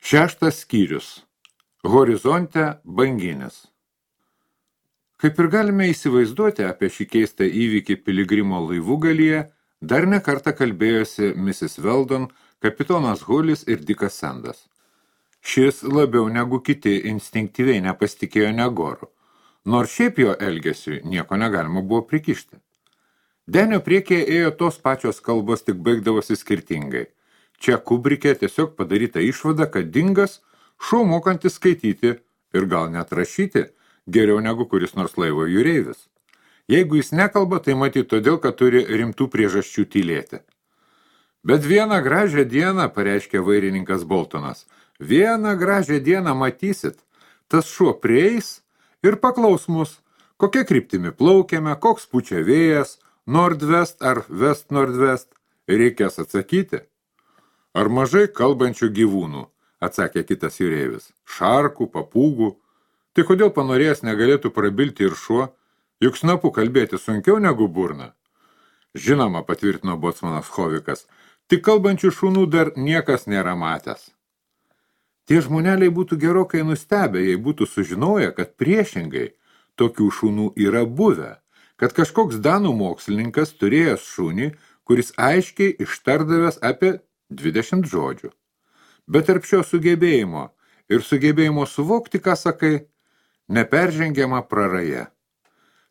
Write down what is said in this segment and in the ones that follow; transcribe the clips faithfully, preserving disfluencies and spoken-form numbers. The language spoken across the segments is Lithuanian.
Šeštas skyrius. Horizonte banginis. Kaip ir galime įsivaizduoti, apie šį keistą įvykį Piligrimo laivugalyje dar ne kartą kalbėjosi misis Weldon, kapitonas Hulis ir Dikas Sandas. Šis labiau negu kiti instinktyviai nepasitikėjo Negoru, nors šiaip jo elgesiui nieko negalima buvo prikišti. Denio priekyje ėjo tos pačios kalbos, tik baigdavosi skirtingai. Čia Kubrike tiesiog padaryta išvada, kad Dingas šuo mokantis skaityti ir gal net rašyti geriau negu kuris nors laivo jūreivis. Jeigu jis nekalba, tai matyt todėl, kad turi rimtų priežasčių tylėti. Bet vieną gražią dieną, pareiškė vairininkas Boltonas, vieną gražią dieną matysit, tas šuo prieis ir paklaus mus, kokia kryptimi plaukiame, koks pučia vėjas, nordvest ar west nordvest, reikės atsakyti. Ar mažai kalbančių gyvūnų, atsakė kitas jūreivis, šarkų, papūgų. Tai kodėl panorėjęs negalėtų prabilti ir šuo, juk snapu kalbėti sunkiau negu burna? Žinoma, patvirtino bocmanas Hovikas, tik kalbančių šunų dar niekas nėra matęs. Tie žmoneliai būtų gerokai nustebę, jei būtų sužinoję, kad priešingai tokių šunų yra buvę, kad kažkoks danų mokslininkas turėjęs šunį, kuris aiškiai ištardavęs apie dvidešimt žodžių. Bet tarp šio sugebėjimo ir sugebėjimo suvokti, ką sakai, neperžengiama praraja.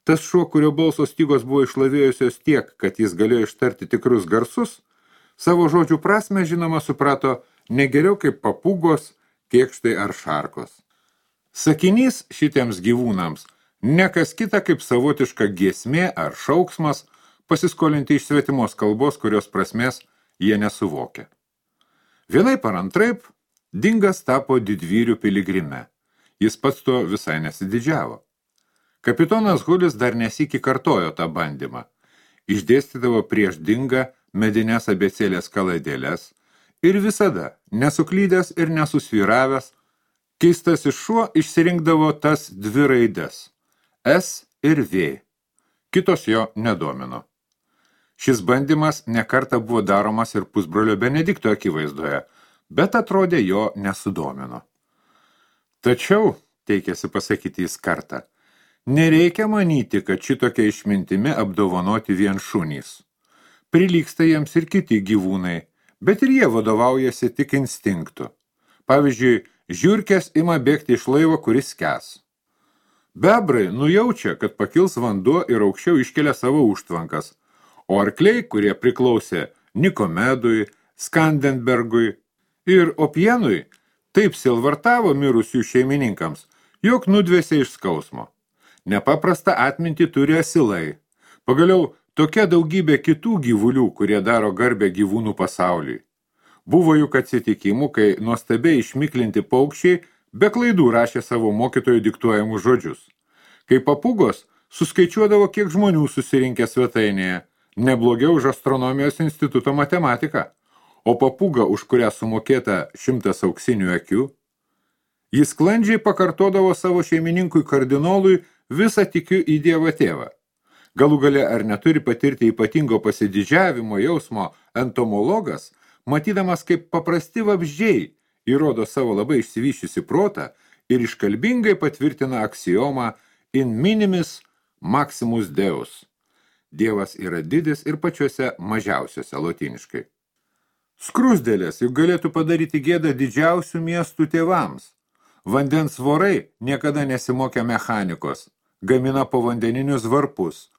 Tas šuo, kurio balso stygos buvo išlavėjusios tiek, kad jis galėjo ištarti tikrus garsus, savo žodžių prasme, žinoma, suprato ne geriau kaip papūgos, kėkštai ar šarkos. Sakinys šitiems gyvūnams ne kas kita kaip savotiška giesmė ar šauksmas pasiskolinti iš svetimos kalbos, kurios prasmės jie nesuvokia. Vienaip ar antraip, Dingas tapo didvyrių Piligrime. Jis pats to visai nesididžiavo. Kapitonas Hulis dar nesikį kartojo tą bandymą. Išdėstydavo prieš Dingą medinės abėcėlės kaladėlės ir visada, nesuklydęs ir nesusvyravęs, keistasis šuo išsirinkdavo tas dvi raides – S ir V. Kitos jo nedomino. Šis bandymas nekartą buvo daromas ir pusbrolio Benedikto akivaizdoje, bet atrodė jo nesudomino. Tačiau, teikėsi pasakyti jis kartą, nereikia manyti, kad šitokia išmintimi apdovanoti vien šunys. Prilygsta jiems ir kiti gyvūnai, bet ir jie vadovaujasi tik instinktu. Pavyzdžiui, žiurkės ima bėgti iš laivo, kuris skęs. Bebrai nujaučia, kad pakils vanduo ir aukščiau iškelia savo užtvankas, o arkliai, kurie priklausė Nikomedui, Skandenbergui ir Opienui, taip silvartavo mirusių šeimininkams, jog nudvėsė iš skausmo. Nepaprastą atmintį turi asilai. Pagaliau, tokia daugybė kitų gyvulių, kurie daro garbę gyvūnų pasauliui. Buvo juk atsitikimų, kai nuostabiai išmiklinti paukščiai be klaidų rašė savo mokytojų diktuojamus žodžius. Kai papūgos suskaičiuodavo, kiek žmonių susirinkę svetainėje, neblogiau už astronomijos instituto matematiką, o papūga, už kurią sumokėta šimtas auksinių akių, jis sklandžiai pakartodavo savo šeimininkui kardinolui visą tikiu į Dievą tėvą. Galų gale ar neturi patirti ypatingo pasididžiavimo jausmo entomologas, matydamas kaip paprasti vabzdžiai įrodo savo labai išsivyščiusi protą ir iškalbingai patvirtina aksiomą in minimis maximus deus. Dievas yra didis ir pačiuose mažiausiuose lotyniškai. Skrusdėlės juk galėtų padaryti gėdą didžiausių miestų tėvams. Vandens vorai niekada nesimokė mechanikos, gamina povandeninius varpus.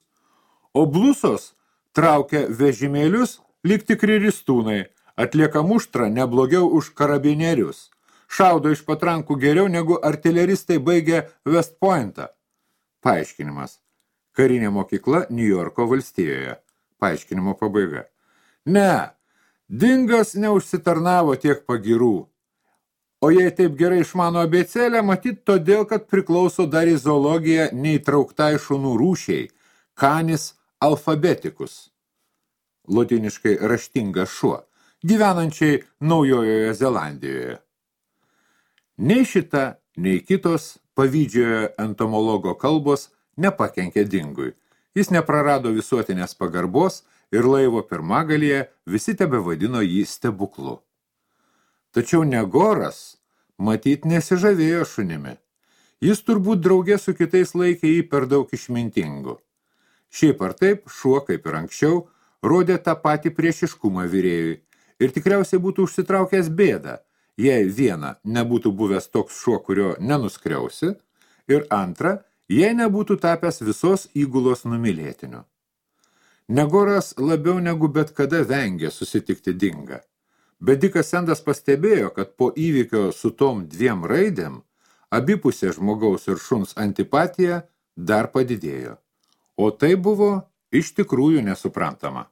O blusos traukia vežimėlius lyg tikri ristūnai, atlieka muštrą neblogiau už karabinierius, šaudo iš patrankų geriau negu artileristai baigė West Pointą. Paaiškinimas. Karinė mokykla Niujorko valstijoje. Paaiškinimo pabaiga. Ne, Dingas neužsitarnavo tiek pagirų. O jei taip gerai išmano abėcėlę, matyt todėl, kad priklauso dar į zoologiją neįtrauktai šunų rūšiai, canis alphabetikus. Lotyniškai raštingas šuo, gyvenančiai Naujojoje Zelandijoje. Nei šita, nei kitos pavydžiojo entomologo kalbos nepakenkė Dingui. Jis neprarado visuotinės pagarbos ir laivo pirmagalyje visi tebevadino jį stebuklu. Tačiau Negoras matyt nesižavėjo šunimi. Jis turbūt draugė su kitais laikė jį per daug išmintingu. Šiaip ar taip, šuo, kaip ir anksčiau, rodė tą patį priešiškumą virėjui ir tikriausiai būtų užsitraukęs bėdą, jei viena nebūtų buvęs toks šuo, kurio nenuskriausi, ir antra, jei nebūtų tapęs visos įgulos numylėtiniu. Negoras labiau negu bet kada vengė susitikti Dingą, bet Dikas Sendas pastebėjo, kad po įvykio su tom dviem raidėm abipusė žmogaus ir šuns antipatija dar padidėjo, o tai buvo iš tikrųjų nesuprantama.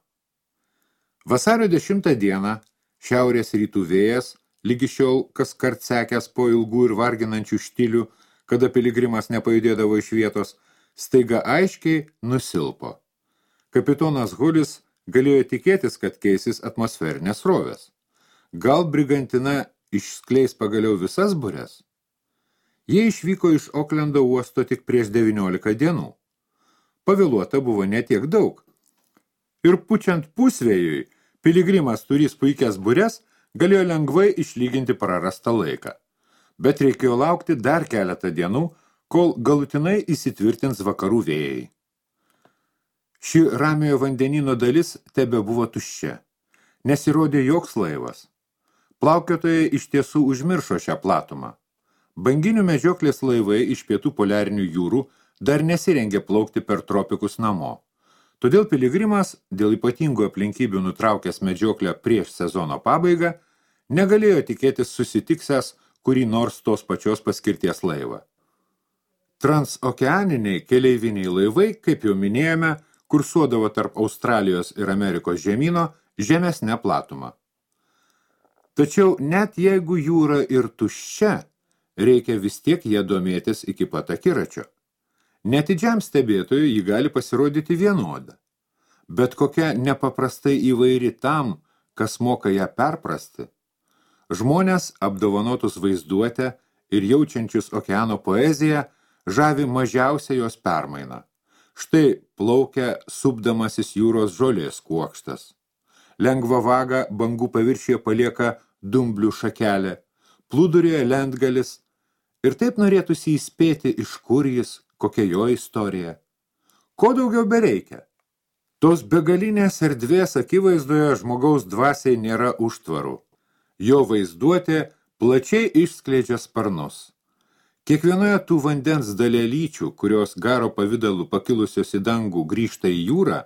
Vasario dešimtą dieną šiaurės rytų vėjas, lygi šiol kas kart sekęs po ilgų ir varginančių štilių, kada piligrimas nepajudėdavo iš vietos, staiga aiškiai nusilpo. Kapitonas Hulis galėjo tikėtis, kad keisis atmosferinės srovės. Gal brigantina išskleis pagaliau visas bures? Jie išvyko iš Oklendo uosto tik prieš devyniolika dienų. Pavėluota buvo netiek daug. Ir pučiant pusvėjui, piligrimas turys puikias bures, galėjo lengvai išlyginti prarastą laiką. Bet reikėjo laukti dar keletą dienų, kol galutinai įsitvirtins vakarų vėjai. Ši ramiojo vandenyno dalis tebe buvo tuščia. Nesirodė joks laivas. Plaukiotojai iš tiesų užmiršo šią platumą. Banginių medžioklės laivai iš pietų poliarinių jūrų dar nesirengė plaukti per tropikus namo. Todėl piligrimas, dėl ypatingų aplinkybių nutraukęs medžioklę prieš sezono pabaigą, negalėjo tikėtis susitiksęs kurį nors tos pačios paskirties laivą. Transokeaniniai keleiviniai laivai, kaip jau minėjome, kursuodavo tarp Australijos ir Amerikos žemyno žemesnę platumą. Tačiau net jeigu jūra ir tuščia, reikia vis tiek ją domėtis iki pat akiračio. Netidžiam stebėtojui ji gali pasirodyti vienoda, bet kokia nepaprastai įvairi tam, kas moka ją perprasti. Žmonės, apdovanotus vaizduotę ir jaučiančius okeano poeziją, žavi mažiausia jos permaina. Štai plaukia supdamasis jūros žolės kuokštas. Lengva vaga bangų paviršiuje palieka dumblių šakelė, plūdurėje lentgalis, ir taip norėtųsi įspėti, iš kur jis, kokia jo istorija. Ko daugiau bereikia? Tos begalinės erdvės akivaizdoje žmogaus dvasiai nėra užtvarų. Jo vaizduotė plačiai išskleidžia sparnus. Kiekvienoje tų vandens dalelyčių, kurios garo pavidalu pakilusios į dangų grįžta į jūrą,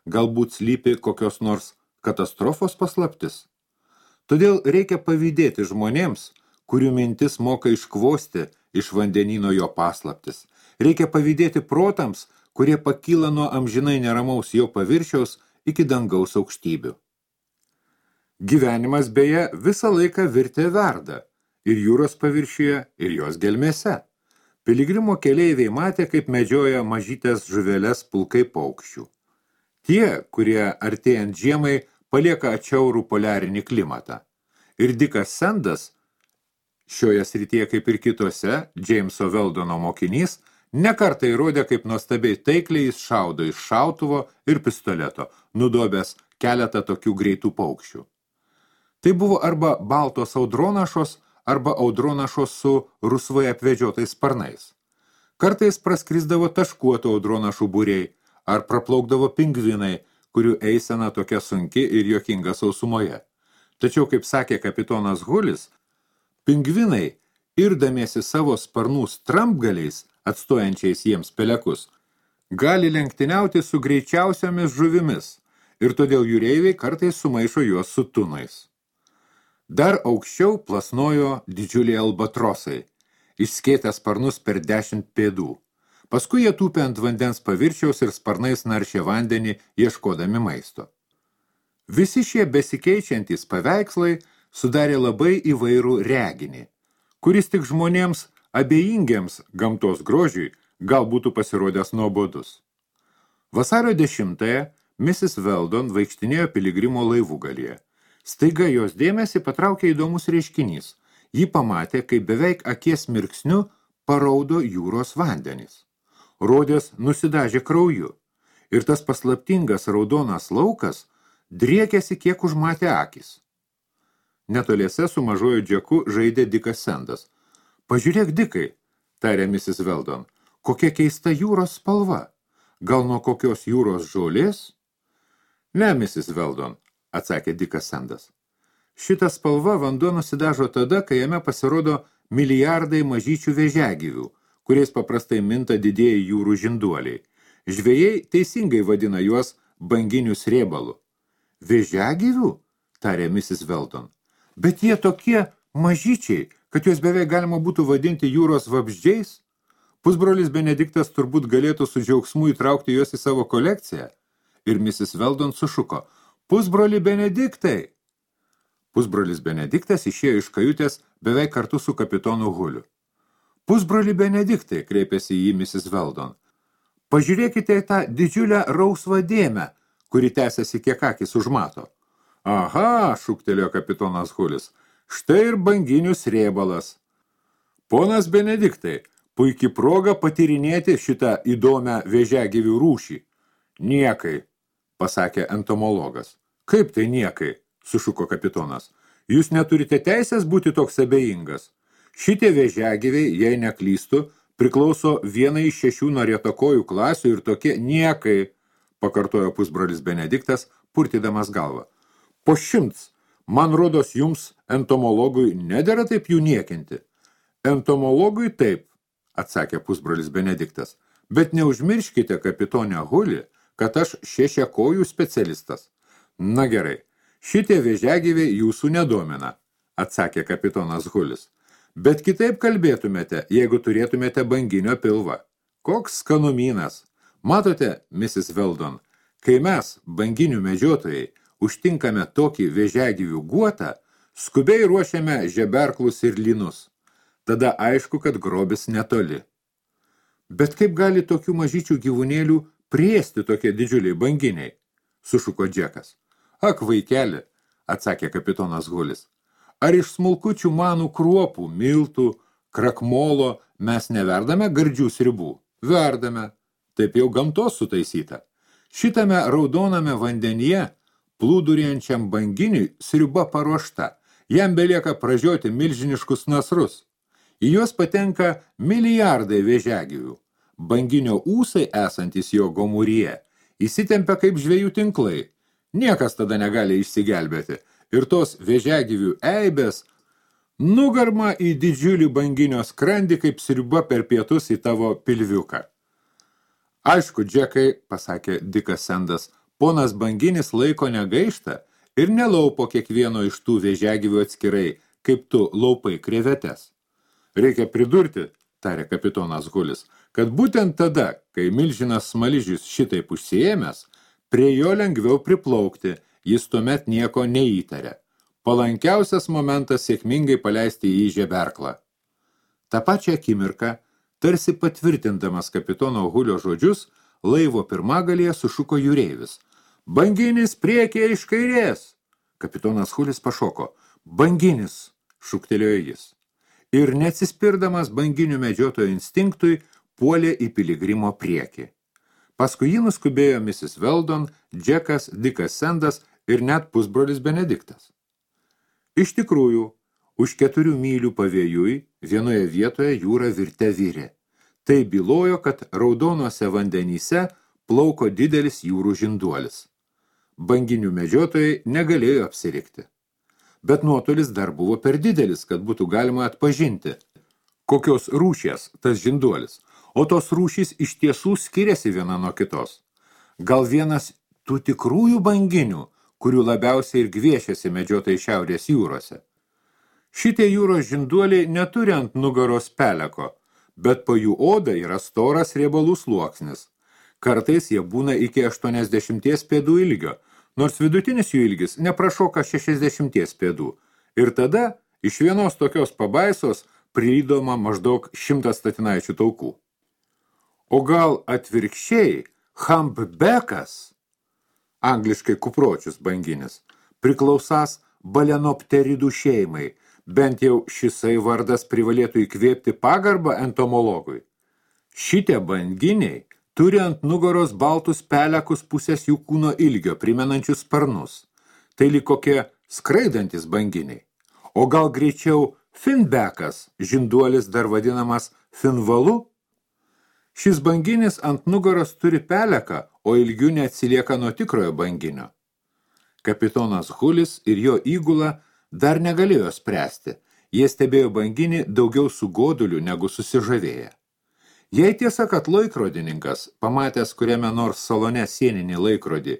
galbūt slypi kokios nors katastrofos paslaptis. Todėl reikia pavydėti žmonėms, kurių mintis moka iškvosti iš vandenyno jo paslaptis. Reikia pavydėti protams, kurie pakyla nuo amžinai neramaus jo paviršiaus iki dangaus aukštybių. Gyvenimas beje visą laiką virtė verda, ir jūros paviršiuje, ir jos gelmėse. Piligrimo keleiviai matė, kaip medžioja mažytės žuveles pulkai paukščių. Tie, kurie artėjant žiemai palieka atšiaurų poliarinį klimatą. Ir Dikas Sendas, šioje srityje kaip ir kitose, Jameso Weldono mokinys, nekartą įrodė, kaip nuostabiai taikliai jis šaudo iš šautuvo ir pistoleto, nudobęs keletą tokių greitų paukščių. Tai buvo arba baltos audronašos, arba audronašos su rusvai apvedžiotais sparnais. Kartais praskrisdavo taškuotų audronašų būriai, ar praplaukdavo pingvinai, kurių eisena tokia sunki ir juokinga sausumoje. Tačiau, kaip sakė kapitonas Hulis, pingvinai, irdamiesi savo sparnų strampgaliais, atstojančiais jiems pelekus, gali lenktyniauti su greičiausiomis žuvimis ir todėl jūreiviai kartais sumaišo juos su tunais. Dar aukščiau plasnojo didžiuliai albatrosai, išskėtę sparnus per dešimt pėdų. Paskui jie tūpė ant vandens paviršiaus ir sparnais naršė vandenį, ieškodami maisto. Visi šie besikeičiantys paveikslai sudarė labai įvairų reginį, kuris tik žmonėms abejingiems gamtos grožiui gal būtų pasirodęs nuobodus. Vasario dešimtąją misis Weldon vaikštinėjo piligrimo laivugalyje. Staiga jos dėmesį patraukė įdomus reiškinys. Ji pamatė, kaip beveik akies mirksniu paraudo jūros vandenys. Rodės nusidažė krauju ir tas paslaptingas raudonas laukas driekėsi kiek užmatė akis. Netoliese su mažoju Džeku žaidė Dikas Sendas. Pažiūrėk, Dikai, tarė misis Weldon, kokia keista jūros spalva. Gal nuo kokios jūros žolės? Ne, misis Weldon, atsakė Dikas Sandas. Šita spalva vanduo nusidažo tada, kai jame pasirodo milijardai mažyčių vėžiagyvių, kuriais paprastai minta didieji jūrų žinduoliai. Žvejai teisingai vadina juos banginių srėbalu. Vėžiagyvių? Tarė misis Weldon. Bet jie tokie mažyčiai, kad juos beveik galima būtų vadinti jūros vabzdžiais? Pusbrolis Benediktas turbūt galėtų su džiaugsmu įtraukti juos į savo kolekciją. Ir misis Weldon sušuko. Pusbroli Benediktai! Pusbrolis Benediktas išėjo iš kajutės beveik kartu su kapitonu Huliu. Pusbroli Benediktai, kreipėsi į jį misis Weldon. Pažiūrėkite į tą didžiulę rausvą dėmę, kuri tęsiasi kiek akis užmato. Aha, šūktelėjo kapitonas Hulis, štai ir banginių srėbalas. Ponas Benediktai, puikiai proga patyrinėti šitą įdomią vėžiagyvių rūšį. Niekai, pasakė entomologas. Kaip tai niekai, sušuko kapitonas. Jūs neturite teisės būti toks abejingas. Šitie vėžiagyviai, jei neklystų, priklauso vienai iš šešių narietokojų klasių ir tokie niekai, pakartojo pusbrolis Benediktas, purtydamas galvą. Po šimts, man rodos jums, entomologui, nedera taip jų niekinti. Entomologui taip, atsakė pusbrolis Benediktas, bet neužmirškite, kapitonė Huli, kad aš šešiakojų specialistas. Na gerai, šitie vėžiagyviai jūsų nedomina, atsakė kapitonas Hulis. Bet kitaip kalbėtumėte, jeigu turėtumėte banginio pilvą. Koks skanumynas. Matote, misis Weldon, kai mes, banginių medžiotojai, užtinkame tokį vėžiagyvių guotą, skubiai ruošiame žeberklus ir linus. Tada aišku, kad grobis netoli. Bet kaip gali tokių mažyčių gyvūnėlių priėsti tokie didžiuliai banginiai? Sušuko Džekas. Ak, vaikeli, atsakė kapitonas Hulis. Ar iš smulkučių manų kruopų, miltų, krakmolo mes neverdame gardžių sriubų? Verdame. Taip jau gamtos sutaisyta. Šitame raudoname vandenyje, plūduriančiam banginiui, sriuba paruošta. Jam belieka pražioti milžiniškus nasrus. Į juos patenka milijardai vėžiagyvių. Banginio ūsai esantis jo gomuryje įsitempia kaip žvejų tinklai. Niekas tada negali išsigelbėti. Ir tos vėžiagyvių eibės nugarma į didžiulį banginio skrandį kaip sriuba per pietus į tavo pilviuką. Aišku, Džekai, pasakė Dikas Sandas, ponas banginis laiko negaišta ir nelaupo kiekvieno iš tų vėžiagyvių atskirai, kaip tu laupai krevetes. Reikia pridurti, tarė kapitonas Hulis, kad būtent tada, kai milžinas smaližius šitaip užsiėmęs, prie jo lengviau priplaukti, jis tuomet nieko neįtarė. Palankiausias momentas sėkmingai paleisti į žeberklą. Ta pačią akimirką, tarsi patvirtindamas kapitono Hulio žodžius, laivo pirmagalėje sušuko jūreivis. Banginis priekyje iš kairės. Kapitonas Hulis pašoko. Banginis, šūktelėjo jis. Ir neatsispirdamas banginių medžiotojo instinktui, puolė į piligrimo priekį. Paskui jį nuskubėjo misis Weldon, Džekas, Dikas Sandas ir net pusbrolis Benediktas. Iš tikrųjų, už keturių mylių pavėjui vienoje vietoje jūra virte virė. Tai bylojo, kad raudonuose vandenyse plauko didelis jūrų žinduolis. Banginių medžiotojai negalėjo apsirikti. Bet nuotolis dar buvo per didelis, kad būtų galima atpažinti, kokios rūšies tas žinduolis, o tos rūšys iš tiesų skiriasi viena nuo kitos. Gal vienas tų tikrųjų banginių, kurių labiausiai ir gviešiasi medžiotojai šiaurės jūrose. Šitie jūros žinduoliai neturi ant nugaros peleko, bet po jų oda yra storas riebalų sluoksnis. Kartais jie būna iki aštuoniasdešimties pėdų ilgio, nors vidutinis jų ilgis neprašoka šešiasdešimties pėdų. Ir tada iš vienos tokios pabaisos prilydoma maždaug šimtas statinaičių taukų. O gal atvirkščiai humpbackas, angliškai kupročius banginis, priklausas balenopteridų šeimai, bent jau šisai vardas privalėtų įkvėpti pagarbą entomologui. Šitie banginiai turi ant nugaros baltus pelekus pusės jų kūno ilgio, primenančius sparnus. Tai lyg kokie skraidantis banginiai. O gal greičiau Finbekas, žinduolis dar vadinamas finvalu. Šis banginis ant nugaros turi peleką, o ilgių neatsilieka nuo tikrojo banginio. Kapitonas Hulis ir jo įgula dar negalėjo spręsti. Jie stebėjo banginį daugiau su goduliu negu susižavėję. Jei tiesa, kad laikrodininkas, pamatęs kuriame nors salone sieninį laikrodį,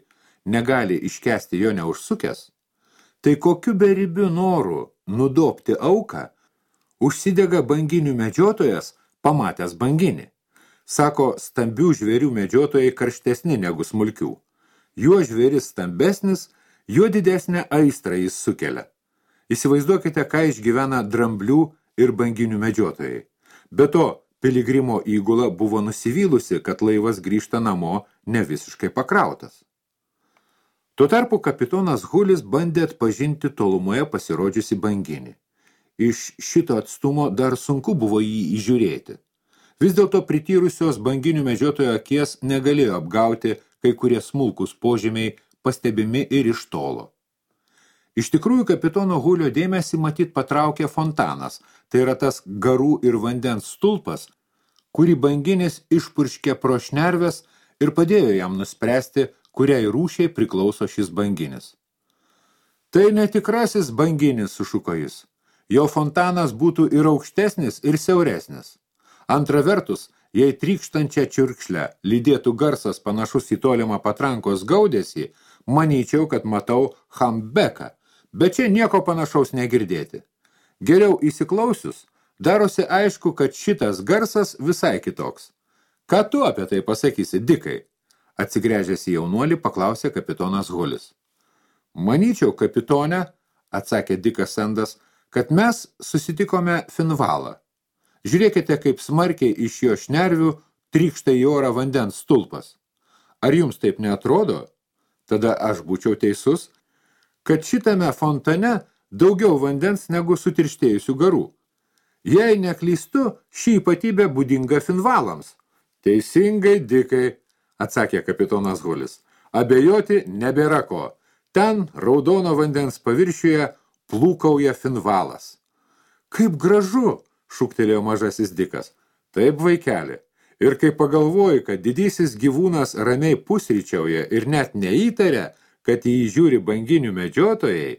negali iškęsti jo neužsukęs, tai kokiu beribiu noru nudobti auką užsidega banginių medžiotojas, pamatęs banginį. Sako, stambių žvėrių medžiotojai karštesni negu smulkių. Juo žvėris stambesnis, juo didesnę aistrą jis sukelia. Įsivaizduokite, ką išgyvena dramblių ir banginių medžiotojai. Be to, piligrimo įgula buvo nusivylusi, kad laivas grįžta namo ne visiškai pakrautas. Tuo tarpu kapitonas Hulis bandė atpažinti tolumoje pasirodžiusi banginį. Iš šito atstumo dar sunku buvo jį įžiūrėti. Vis dėlto prityrusios banginių medžiotojo akies negalėjo apgauti kai kurie smulkus požymiai pastebimi ir iš tolo. Iš tikrųjų, kapitono Hulio dėmesį matyt patraukė fontanas, tai yra tas garų ir vandens stulpas, kurį banginis išpurškė pro šnerves ir padėjo jam nuspręsti, kuriai rūšiai priklauso šis banginis. Tai netikrasis banginis, sušuko jis. Jo fontanas būtų ir aukštesnis, ir siauresnis. Antra vertus, jei trykštančią čiurkšlę lydėtų garsas panašus į tolimą patrankos gaudesį, manyčiau, kad matau Hambeką, bet čia nieko panašaus negirdėti. Geriau įsiklausius, darosi aišku, kad šitas garsas visai kitoks. Ką tu apie tai pasakysi, Dikai? Atsigręžęs į jaunuolį, paklausė kapitonas Hulis. Manyčiau, kapitone, atsakė Dikas Sendas, kad mes susitikome Finvalą. Žiūrėkite, kaip smarkiai iš jo šnervių trykšta į orą vandens stulpas. Ar jums taip neatrodo? Tada aš būčiau teisus, kad šitame fontane daugiau vandens negu sutirštėjusių garų. Jei neklystu, ši ypatybė būdinga Finvalams. Teisingai, Dikai, atsakė kapitonas Hulis. Abejoti nebėra ko. Ten raudono vandens paviršiuje plūkauja Finvalas. Kaip gražu, šūktelėjo mažasis Dikas. Taip, vaikeli. Ir kai pagalvoji, kad didysis gyvūnas ramiai pusryčiauja ir net neįtaria, kad jį žiūri banginių medžiotojai,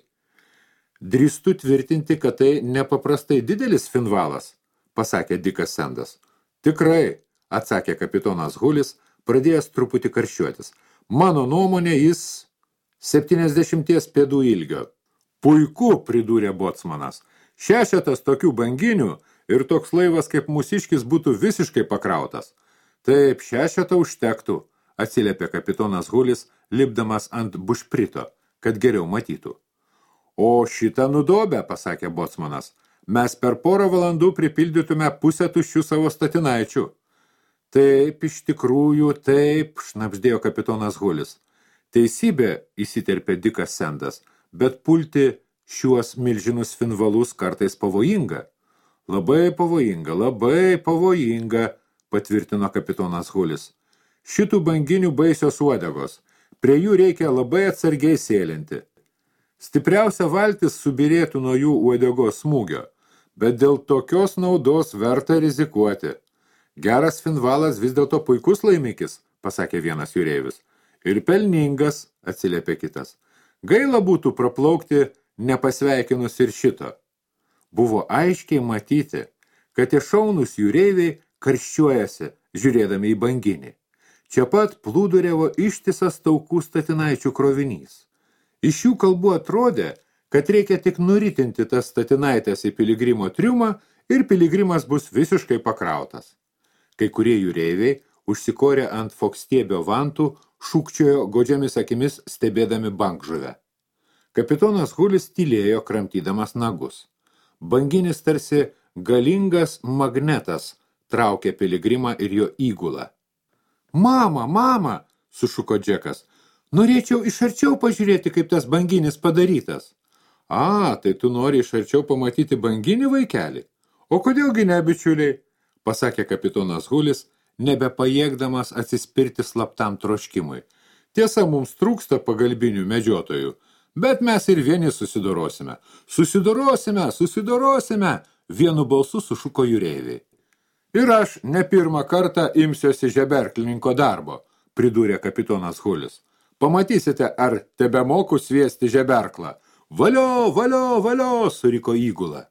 drįstu tvirtinti, kad tai nepaprastai didelis Finvalas, pasakė Dikas Sendas. Tikrai, atsakė kapitonas Hulis, pradėjęs truputį karščiuotis. Mano nuomonė, jis septyniasdešimties pėdų ilgio. Puiku, pridūrė bocmanas. Šešetas tokių banginių ir toks laivas kaip mūsiškis būtų visiškai pakrautas. Taip, šešetą užtektų, atsiliepė kapitonas Hulis, lipdamas ant bušprito, kad geriau matytų. O šitą nudobę, pasakė bocmanas, mes per porą valandų pripildytume pusę tuščių savo statinaičių. Taip, iš tikrųjų, taip, šnabždėjo kapitonas Hulis. Teisybė, įsiterpė Dikas Sendas, bet pulti šiuos milžinus Finvalus kartais pavojinga. Labai pavojinga, labai pavojinga, patvirtino kapitonas Hulis. Šitų banginių baisios uodegos. Prie jų reikia labai atsargiai sėlinti. Stipriausia valtis subirėtų nuo jų uodegos smūgio, bet dėl tokios naudos verta rizikuoti. Geras Finvalas vis dėlto puikus laimikis, pasakė vienas jūreivis. Ir pelningas, atsiliepė kitas. Gaila būtų praplaukti nepasveikinus ir šito. Buvo aiškiai matyti, kad tie šaunus jūreiviai karščiuojasi, žiūrėdami į banginį. Čia pat plūduriavo ištisas taukų statinaičių krovinys. Iš jų kalbų atrodė, kad reikia tik nuritinti tas statinaitės į piligrimo triumą ir piligrimas bus visiškai pakrautas. Kai kurie jūreiviai, užsikorę ant fokstiebio vantų, šūkčiojo godžiamis akimis stebėdami bankžuvę. Kapitonas Hulis tylėjo, kramtydamas nagus. Banginis tarsi galingas magnetas traukė piligrimą ir jo įgulą. Mama, mama, sušuko Džekas, norėčiau iš arčiau pažiūrėti, kaip tas banginis padarytas. A, tai tu nori iš arčiau pamatyti banginį, vaikelį? O kodėlgi ne, bičiuliai? Pasakė kapitonas Hulis, nebepajėgdamas atsispirti slaptam troškimui. Tiesa, mums trūksta pagalbinių medžiotojų, Bet mes ir vieni susidorosime. Susidorosime, susidorosime, vienu balsu sušuko jūreiviai. Ir aš ne pirmą kartą imsiuosi žeberklininko darbo, pridūrė kapitonas Hulis. Pamatysite, ar tebemoku sviesti žeberklą. Valio, valio, valio, suriko įgula.